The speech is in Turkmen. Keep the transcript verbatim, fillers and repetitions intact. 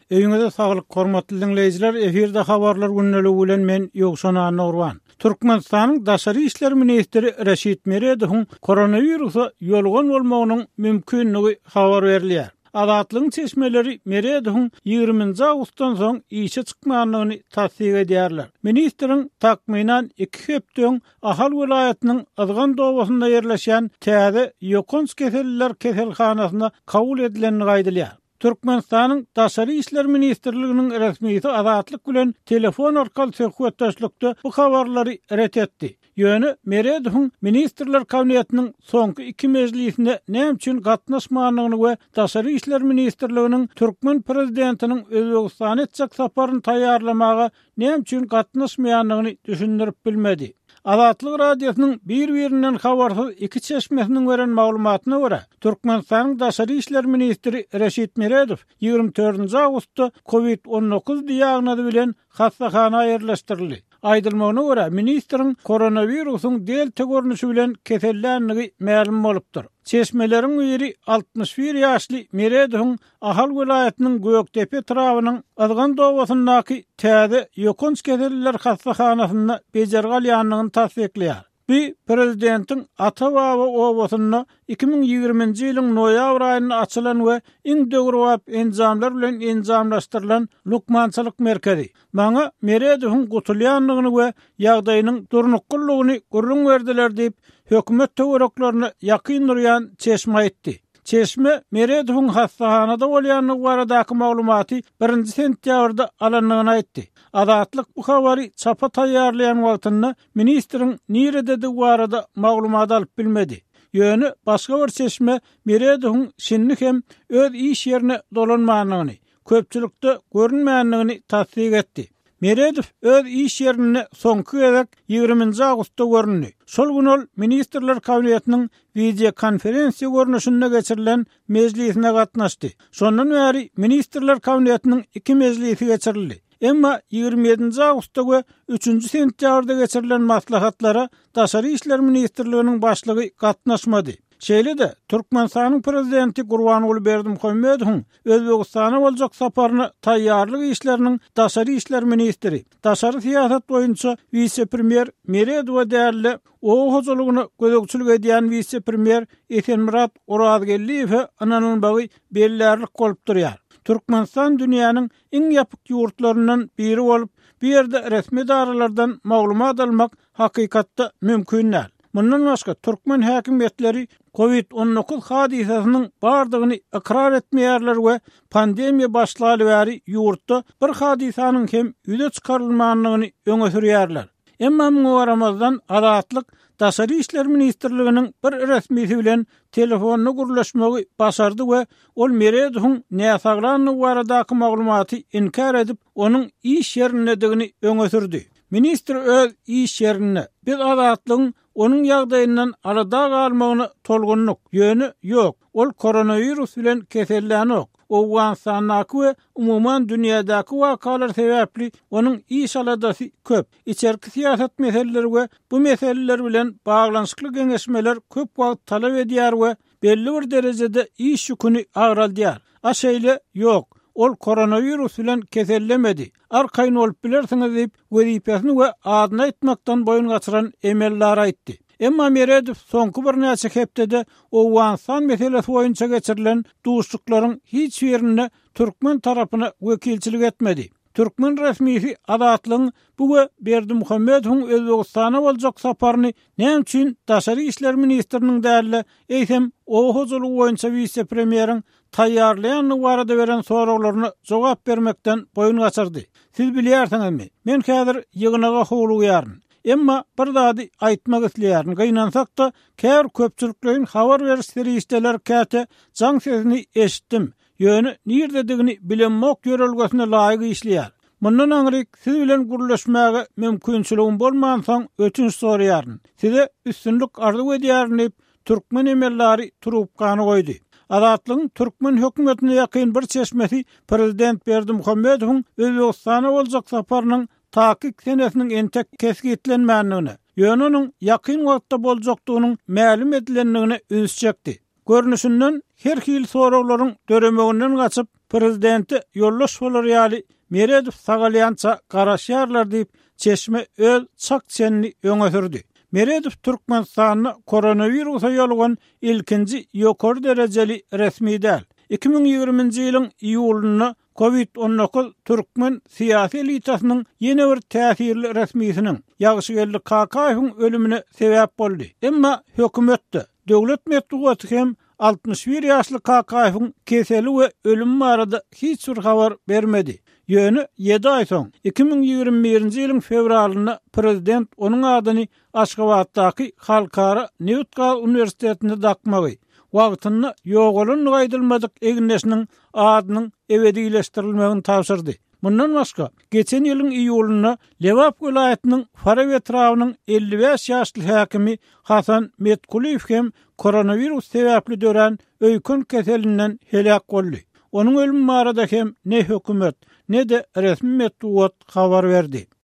Öýüňize saglyk, hormatly diňleýjiler, efirde habarlar gündeligi bilen men Ýowşan Annagurban. Türkmenistanyň daşary işler ministri Reşit Meredowyň koronawirusa ýolgan bolmagynyň mümkinligi habar berilýär. Azatlygyň çeşmeleri Meredowyň ýigriminji awgustdan soň işe çykmandygyny tassyk edýärler. Ministriň takmynan iki hepde öň Ahal welaýatynyň Yzgan obasynda ýerleşýän täze ýokanç keselliler keselhanasyna kabul edilendigi aýdylýar. Türkmenistanyň Daşary işler ministrliginiň resmisi Azatlyk bilen telefon arkaly söhbetdeşlikde bu habarlary ret etdi. Ýöne Meredowyň Ministrler Kabinetiniň soňky iki mejlisine näme üçin gatnaşmandygyny we Daşary işler ministrliginiň türkmen prezidentiniň Özbegistana etjek saparyny taýýarlamaga näme üçin gatnaşmaýandygyny düşündirip bilmedi. Azatlyk Radiosynyň bir-birinden habarsyz iki çeşmesiniň beren maglumatyna görä, Türkmenistanyň Daşary işler ministri Reşit Meredow ýigrimi dördünji awgustda COVID on dokuz diagnozy bilen hassahana ýerleşdirildi. Aýdylmagyna görä, ministriň koronawirusyň delta görnüşi bilen kesellänligi mälim bolupdyr. Çeşmeleriň biri altmyş bir ýaşly Meredowyň Ahal welaýatynyň Gökdepe etrabynyň Yzgan obasyndaky täze ýokanç keselliler hassahanasynda bejergi alýandygyny tassyklaýar. Bu prezidentiň Ata-Baba obasynda iki müň ýigriminji ýylyň noýabr aýynda açylan we iň döwrebap enjamlar bilen enjamlaşdyrylan lukmançylyk merkezi. Maňa Meredowyň gutulýandygyny we ýagdaýynyň durnuklylygyny gürrüň berdiler diýip, hökümet töwereklerine ýakyn durýan çeşme aýtdy. Çeşme Meredowyň hassahanada bolýandygy baradaky maglumaty birinji sentýabrda alandygyny aýtdy. Azatlyk bu habary çapa taýýarlaýan wagtynda ministriň nirededigi barada maglumat alyp bilmedi. Ýöne başga bir çeşme Meredowyň şindi hem öz iş ýerine dolanmandygyny, köpçülikde görünmändigini tassyk etdi. Meredow öz iş ýerinde soňky gezek ýigriminji awgustda göründi. Şol gün ol Ministrler Kabinetiniň videokonferensiýa görnüşinde geçirilen mejlisine gatnaşdy. Şondan bäri Ministrler Kabinetiniň iki mejlisi geçirildi. Emma ýigrimi ýedinji awgustda we üçünji sentýabrda geçirilen maslahatlara Daşary işler ministrliginiň başlygy gatnaşmady. Şeýle-de Türkmenistanyň prezidenti Gurbanguly Berdimuhamedowyň Özbegistana boljak saparyna taýýarlyk işleriniň Daşary işler ministri, Daşary syýasat boýunça wise-premýer Meredowa däli oba hojalygyna gözegçilik edýän wise-premýer Esenmyrat Orazgeldiýewe ynanylmagy bellärlik bolup durýar. Türkmenistan dünýäniň iň ýapyk ýurtlaryndan biri bolup, bu ýerde resmi edaralardan maglumat almak hakykatda mümkin däl. Mundan başga türkmen häkimiýetleri COVID on dokuz hadysasynyň bardygyny ykrar etmeýärler we pandemiýa başlaly bäri ýurtda bir hadysanyň hem ýüze çykarylmandygyny öňe sürýärler. Emma muňa garamazdan Azatlyk Daşary işler ministrliginiň bir resmisi bilen telefonda gürleşmegi başardy we ol Meredowyň näsaglandygy baradaky maglumaty inkär edip, onuň iş ýerindedigini öňe sürdi. Ministr öz iş ýerinde biz Azatlygyň onuň ýagdaýyndan alada galmagyna tolgunlyk, ýöne ýok, ol koronawirus bilen kesellänok. Owganystandaky we umuman dünýädäki wakalar sebäpli onuň iş aladasy köp. Içerki syýasat meseleleri we bu meseleler bilen baglanyşykly geňeşmeler köp wagt talap edýär we belli bir derejede iş ýüküni agraldýar. A şeýle ýok, ol koronawirus bilen kesellemedi. Arkaýyn bolup bilersiňiz diýip, wezipesini we adyny aýtmakdan boýun gaçyran emeldar aýtdy. Emma Meredow soňky birnäçe hepdede Owganystan meselesi boýunça geçirilen duşuşyklaryň hiç birinde türkmen tarapyna wekilçilik etmedi. Türkmen resmisi Azatlygyň bu we Berdimuhamedowyň Özbegistana boljak saparyny näme üçin Daşary işler ministriniň däli, eýsem oba hojalygy boýunça wise-premýeriň taýýarlaýandygy barada beren soraglaryna jogap bermekden boýun gaçyrdy. Siz bilýärsiňizmi? Men häzir ýygnaga howlugýaryn. Emma bir zady aýtmak isleýärin. Gynansak-da, käbir köpçülikleýin habar beriş serişdeler käte jaň sesini eşitdim. Ýöne nirededigini bilemok ýörelgesine laýyk işleýär. Mundan aňryk siz bilen gürleşmäge mümkinçiligim bolmansoň ötünç soraýaryn. Size üstünlik arzuw edýärin diýip, türkmen emellari trubkany goýdy. Azatlygyň türkmen hökümetine ýakyn bir çeşmesi prezident Berdimuhamedowyň Özbegistana boljak saparynyň takyk senesiniň entek kesgitlenmändigine, ýöne onuň ýakyn wagtda boljakdygynyň mälim edilendigine üns çekdi. Görnüşinden her hil soraglaryň döremeginden gaçyp, Prezidente ýoldaş bolar ýaly Meredow sagalýança garaşýarlar diýip, çeşme öz çak-çenini öňe sürdi. Meredow Türkmenistanda koronawirusa ýolugan ilkinji ýokary derejeli resmi däl. Iki müň ýigriminji ýylyň iýulynda Covid on dokuz türkmen syýasy elitasynyň ýene bir täsirli resmisiniň, Ýagşygeldi Kakaýewiň ölümine sebäp boldy. Emma hökümet-de, döwlet metbugaty hem altmyş bir ýaşly Kakaýewiň keseli we ölümi barada hiç bir habar bermedi. Ýöne ýedi aý soň, iki müň ýigrimi birinji ýylyň fewralynda prezident onuň adyny Aşgabatdaky Halkara nebit-gaz uniwersitetinde dakmagy, wagtynda ýogalandygy aýdylmadyk egindeşiniň adynyň ebedileşdirilmegini tabşyrdy. Mundan başga, geçen ýylyň iýulynda Lebap welaýatynyň Farap etrabynyň elli bäş ýaşly häkimi Hasan Metkulyýew hem koronawirus sebäpli dörän öýken keselinden heläk boldy. Onuň ölümi barada hem ne hökümet, ne-de resmi metbugat habar berdi.